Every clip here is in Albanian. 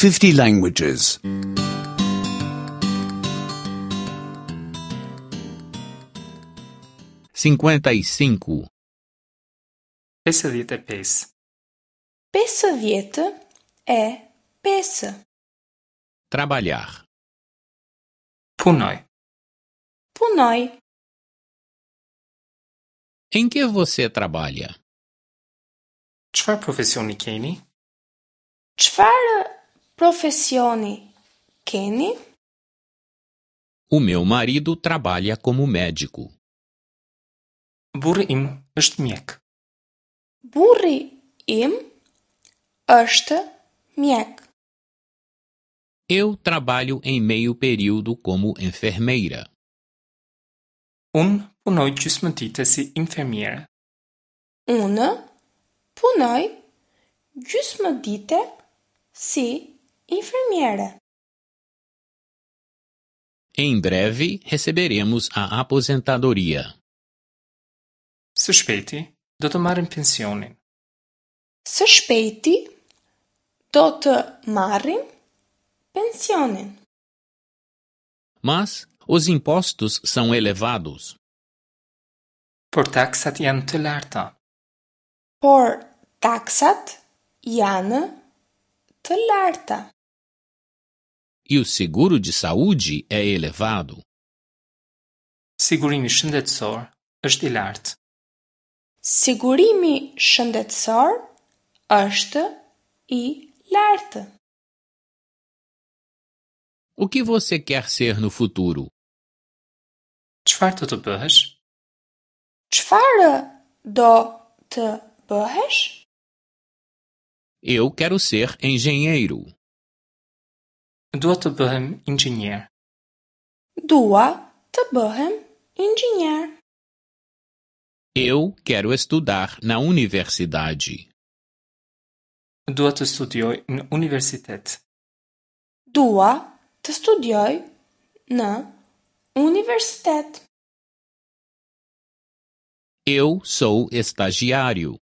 50 languages. 55. 55. 55. Trabalhar. Punoj. Punoj. Em que você trabalha? Çfarë profesioni keni? Çfarë profesioni keni? O meu marido trabalha como médico. Burri im është mjek. Burri im është mjek. Eu trabalho em meio período como enfermeira. Unë punoj gjysmë dite si infermiere. Unë punoj gjysmë dite si infermiere. Em breve receberemos a aposentadoria. Së shpejti do të marrim pensionin. Së shpejti do të marrim pensionin. Mas os impostos são elevados. Por taksat janë të larta. Por taksat janë të larta. E o seguro de saúde é elevado. Sigurimi shëndetësor është i lartë. Sigurimi shëndetësor është i lartë. O que você quer ser no futuro? Çfarë do të bëhesh? Çfarë do të bëhesh? Eu quero ser engenheiro. Dua të bëhem inxhinier. Dua të bëhem inxhinier. Eu quero estudar na universidade. Dua të studioj në universitet. Dua të studioj në universitet. Eu sou estagiário.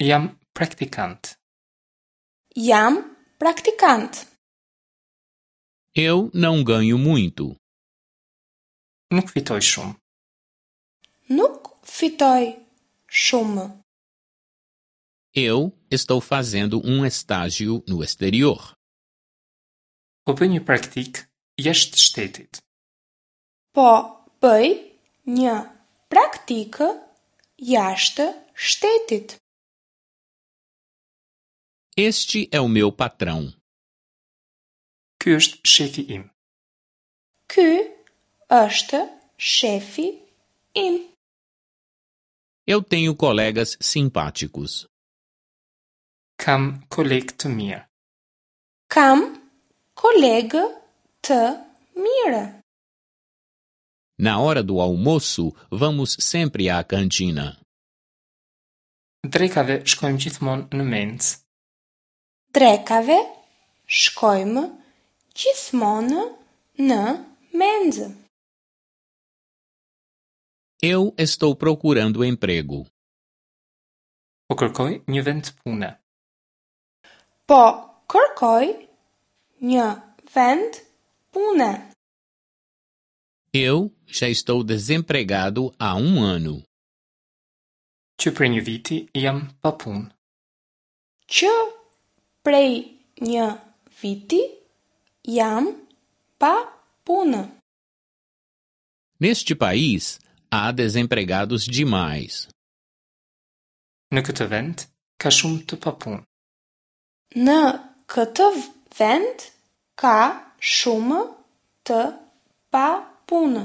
Jam praktikant. Jam praktikant. Eu não ganho muito. Nuk fitoj shumë. Nuk fitoj shumë. Eu estou fazendo um estágio no exterior. Po bëj një praktikë jashtë shtetit. Po bëj një praktikë jashtë shtetit. Este é o meu patrão. Ky është shefi im. Ky është shefi im. Eu tenho colegas simpáticos. Kam kolegë të mirë. Kam kolegë të mirë. Na hora do almoço, vamos sempre à cantina. Drekave shkojmë gjithmonë në mencë. Drekave shkojmë gjithmonë në menzë. Eu estou procurando emprego. Po kërkoj një vend pune. Po kërkoj një vend pune. Eu já estou desempregado há um ano. Që prej një viti jam pa punë. Që prej një viti jam pa punë. Neste país, há desempregados demais. Në këtë vend ka shumë të papunë. Në këtë vend ka shumë të papunë.